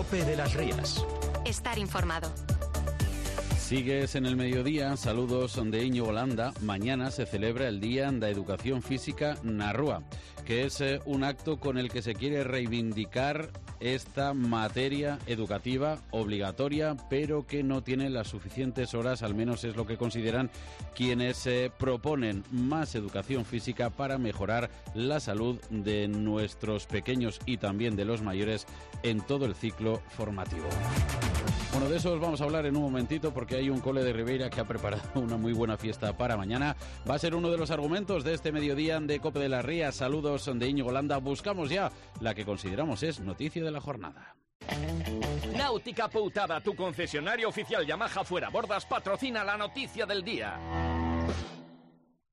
COPE de las Rías. Estar informado. Sigues en el mediodía, saludos de Íñigo Landa. Mañana se celebra el Día da Educación Física na Rúa, que es un acto con el que se quiere reivindicar esta materia educativa obligatoria, pero que no tiene las suficientes horas, al menos es lo que consideran quienes proponen más educación física para mejorar la salud de nuestros pequeños y también de los mayores en todo el ciclo formativo. Bueno, de eso os vamos a hablar en un momentito porque hay un cole de Ribeira que ha preparado una muy buena fiesta para mañana. Va a ser uno de los argumentos de este mediodía de COPE de las Rías. Saludos de Íñigo Landa. Buscamos ya la que consideramos es noticia de la jornada. Náutica Poutada, tu concesionario oficial Yamaha Fuera Bordas, patrocina la noticia del día.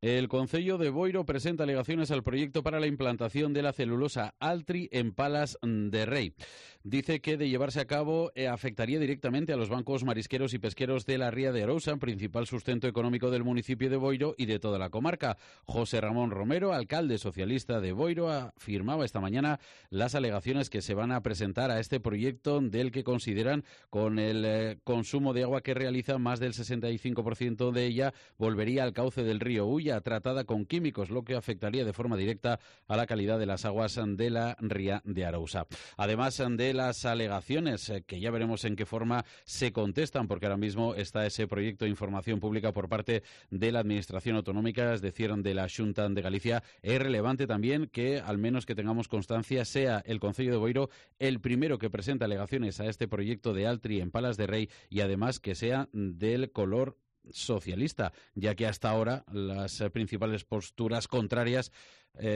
El Concello de Boiro presenta alegaciones al proyecto para la implantación de la celulosa Altri en Palas de Rei. Dice que de llevarse a cabo afectaría directamente a los bancos marisqueros y pesqueros de la Ría de Arousa, principal sustento económico del municipio de Boiro y de toda la comarca. José Ramón Romero, alcalde socialista de Boiro, afirmaba esta mañana las alegaciones que se van a presentar a este proyecto del que consideran con el consumo de agua que realiza más del 65% de ella volvería al cauce del río Ulla, tratada con químicos, lo que afectaría de forma directa a la calidad de las aguas de la Ría de Arousa. Además de las alegaciones, que ya veremos en qué forma se contestan, porque ahora mismo está ese proyecto de información pública por parte de la Administración Autonómica, es decir, de la Xunta de Galicia. Es relevante también que, al menos que tengamos constancia, sea el Concello de Boiro el primero que presenta alegaciones a este proyecto de Altri en Palas de Rei y además que sea del color socialista, ya que hasta ahora las principales posturas contrarias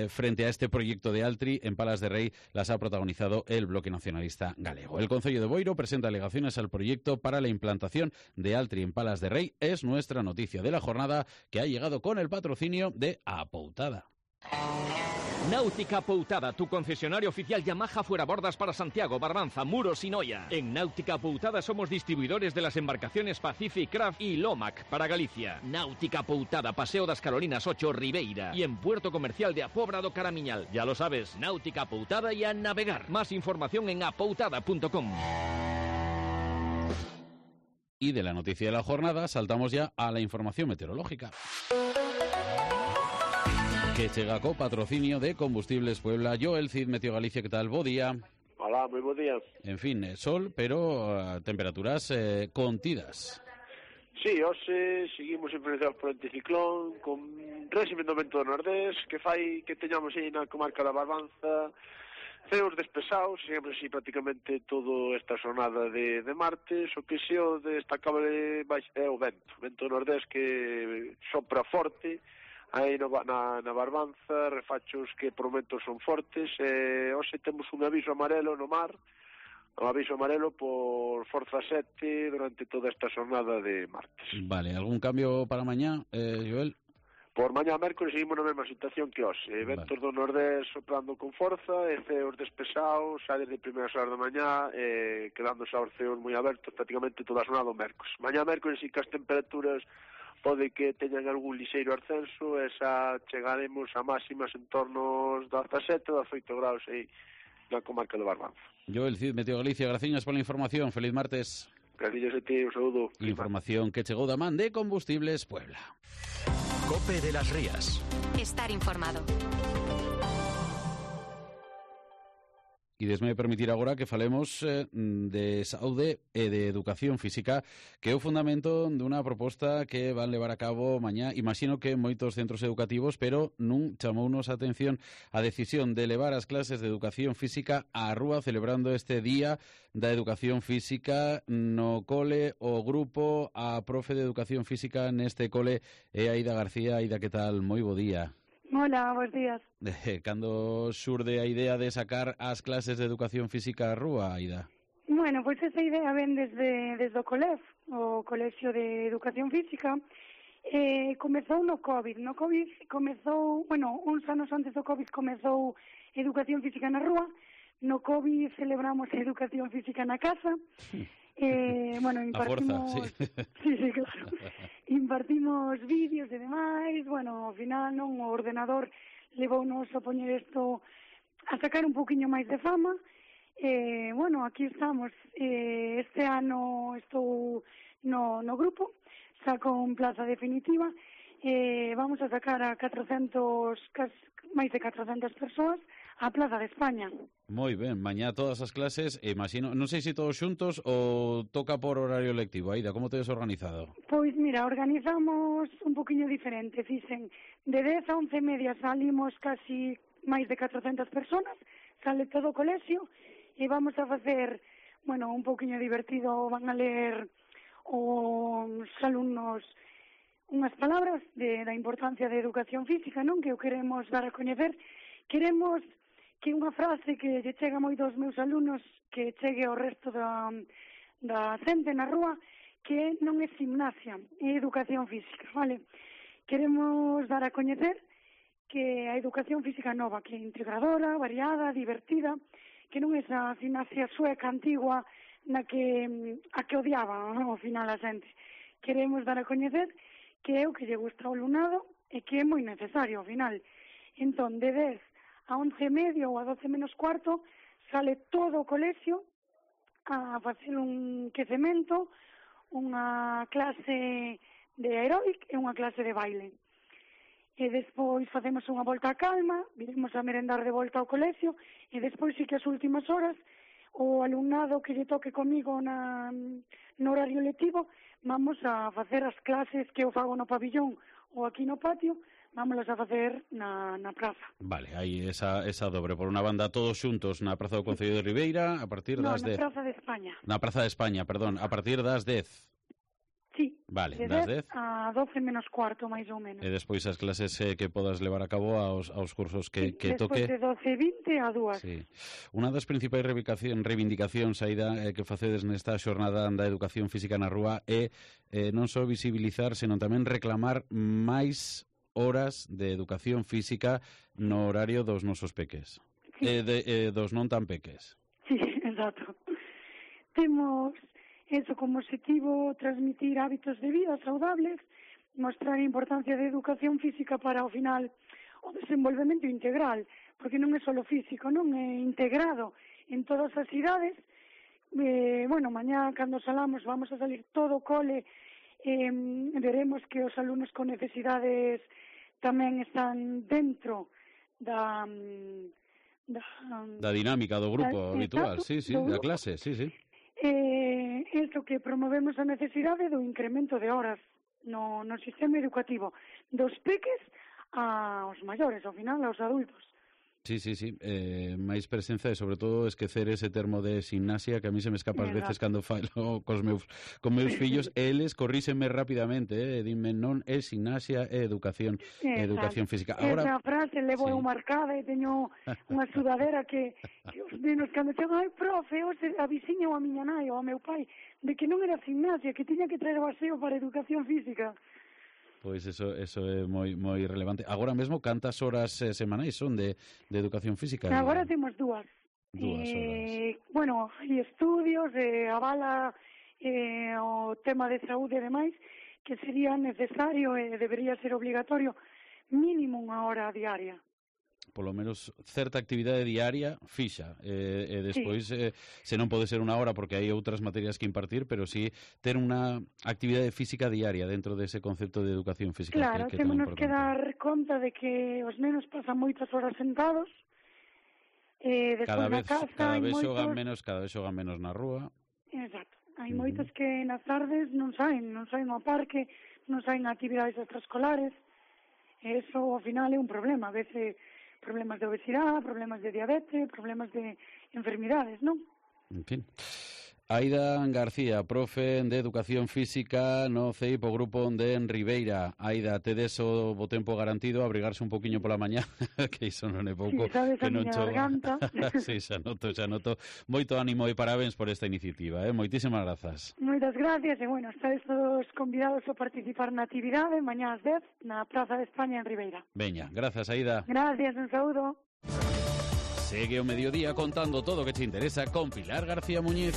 frente a este proyecto de Altri en Palas de Rei las ha protagonizado el Bloque Nacionalista Galego. El Concello de Boiro presenta alegaciones al proyecto para la implantación de Altri en Palas de Rei. Es nuestra noticia de la jornada, que ha llegado con el patrocinio de Apoutada. Náutica Poutada, tu concesionario oficial Yamaha Fuera Bordas para Santiago, Barbanza, Muros y Noia. En Náutica Poutada somos distribuidores de las embarcaciones Pacific Craft y Lomac para Galicia. Náutica Poutada, Paseo das Carolinas 8, Ribeira. Y en Puerto Comercial de Apobra do Caramiñal. Ya lo sabes, Náutica Poutada y a navegar. Más información en apoutada.com. Y de la noticia de la jornada saltamos ya a la información meteorológica, que chega co patrocinio de Combustibles Puebla. Joel Cid, Meteo Galicia, ¿qué tal? Bo día. Hola, muy buen día. En fin, sol, pero temperaturas contidas. Sí, hoxe seguimos influenciados por anticiclón, con réxime do vento do nordés, que fai que teñamos aí na comarca da Barbanza ceos despesados, sempre así prácticamente toda esta xornada de martes. O que se o destacable é o vento nordés que sopra forte, aí na Barbanza, refachos que por momentos son fortes. Hoxe temos un aviso amarelo no mar, un aviso amarelo por forza 7 durante toda esta xornada de martes. Vale, algún cambio para mañá, Joel? Por mañá mércoles seguimos na mesma situación que hoxe, ventos do nordés soprando con forza, e ceos despesados, xa desde primeiras horas da mañá, quedando xa os ceos moi abertos prácticamente toda a xornada do mércoles. Mañá mércoles sí que as temperaturas pode que teñan algún lixeiro ascenso, e xa chegaremos a máximas en torno aos 17, 18 graus aí na comarca do Barbanza. Joel Cid, Meteo Galicia, graciñas pola información. Feliz martes. Gracias a ti, un saúdo. Información que chegou da man de Combustibles Puebla. COPE de las Rías. Estar informado. E desme permitir agora que falemos de saúde e de educación física, que é o fundamento dunha proposta que van levar a cabo mañá. Imagino que en moitos centros educativos, pero non chamounos a atención a decisión de levar as clases de educación física á rúa, celebrando este Día da Educación Física no cole. O grupo, a profe de Educación Física neste cole é Aida García. Aida, que tal? Moi bo día. Hola, buenos días. Cando xurde a idea de sacar as clases de educación física á rúa, Aida? Bueno, pois esa idea ven desde o COLEF, o Colexio de Educación Física. Comezou no COVID. No COVID comezou, uns anos antes do COVID comezou Educación Física na rúa. No COVID celebramos Educación Física na casa. Impartimos... Sí, claro. Impartimos vídeos e demais. Ao final o ordenador levounos a poñer isto, a sacar un poquinho máis de fama. Bueno, aquí estamos. Este ano estou no grupo, saco en plaza definitiva. Vamos a sacar a máis de 400 persoas á Plaza de España. Moi ben, mañá todas as clases, imagino, non sei se todos xuntos ou toca por horario lectivo. Aida, como tedes organizado? Pois mira, organizamos un poquinho diferente, fixen de 10 a 11:30 salimos casi máis de 400 personas, sale todo o colexio e vamos a facer, bueno, un poquinho divertido, van a ler os alumnos unhas palabras da importancia da educación física, non? Que o queremos dar a coñecer. Queremos que unha frase que lle chega moi dos meus alumnos, que chegue ao resto da xente na rúa, que non é gimnasia, é educación física, vale? Queremos dar a coñecer que a educación física nova, que é integradora, variada, divertida, que non é esa gimnasia sueca antigua a que odiaba, ao final, a xente. Queremos dar a coñecer que é o que lle gusta ao alumnado e que é moi necesario, ao final. Entón, de 10 a 11:30 ou a 12 menos cuarto, sale todo o colexio a facer un quecemento, unha clase de aeróbic e unha clase de baile. E despois facemos unha volta a calma, viremos a merendar de volta ao colexio, e despois sí que as últimas horas, o alumnado que lle toque comigo no horario lectivo, vamos a facer as clases que eu fago no pabillón ou aquí no patio, vámonos a facer na praza. Vale, hai esa dobre. Por unha banda, todos xuntos na Praza do Concello de Ribeira, a partir das 10. Na Praza de España. Na Praza de España, perdón, a partir das 10. Sí, vale, de das 10 a 12 menos cuarto, máis ou menos. E despois as clases que podas levar a cabo aos cursos que toque. Despois de 12:20 a 2. Sí. Unha das principais reivindicacións, Aida, que facedes nesta xornada da educación física na rúa é non só visibilizar, senón tamén reclamar máis horas de educación física no horario dos nosos peques. Sí. Dos non tan peques. Sí, exacto. Temos eso como objetivo, transmitir hábitos de vida saudables, mostrar a importancia da educación física para, ao final, o desenvolvemento integral, porque non é só físico, non é integrado en todas as idades. Bueno, mañá, cando salamos, vamos a salir todo o cole, veremos que os alumnos con necesidades tamén están dentro da dinámica do grupo habitual, sí, da clase, sí. Isto que promovemos a necesidade do incremento de horas no sistema educativo, dos peques aos maiores, ao final, aos adultos. Sí. Máis presenza e, sobre todo, esquecer ese termo de gimnasia que a mí se me escapa ás veces cando falo con meus fillos. Eles corríxenme rapidamente, dime, non é gimnasia, é educación física. Agora, esa frase levo eu marcada e teño unha sudadera que os nenos cando chegan, ai, profe, a viciña ou a miña nai ou a meu pai, de que non era gimnasia, que tiña que traer o aseo para educación física. Pois eso é moi relevante. Agora mesmo, cantas horas semanais son de educación física? Agora temos 2 horas. Bueno, hai estudios, avala o tema de saúde e demais, que sería necesario e debería ser obligatorio mínimo 1 hora diaria. Polo menos certa actividade diaria fixa, e despois se non pode ser 1 hora porque hai outras materias que impartir, pero sí ter unha actividade física diaria dentro dese concepto de educación física. Claro, temos que dar conta de que os nenos pasan moitas horas sentados, cada vez xogan menos na rúa. Exacto, hai moitos que nas tardes non saen ao parque, non saen a actividades extraescolares, e iso ao final é un problema, a veces problemas de obesidade, problemas de diabetes, problemas de enfermidades, non? En fin. Aida García, profe de Educación Física no CEIP, o grupo de Ribeira. Aida, tedes o tempo garantido, abrigarse un poquinho pola mañá, que iso non é pouco. Sí, sabes que a miña garganta. Sí, xa noto. Moito ánimo e parabéns por esta iniciativa, moitísimas grazas. Moitas gracias, e bueno, estáis todos convidados a participar na actividade mañá ás 10 na Praza de España en Ribeira. Veña, grazas, Aida. Gracias, un saúdo. Segue o mediodía contando todo o que te interesa con Pilar García Muñiz.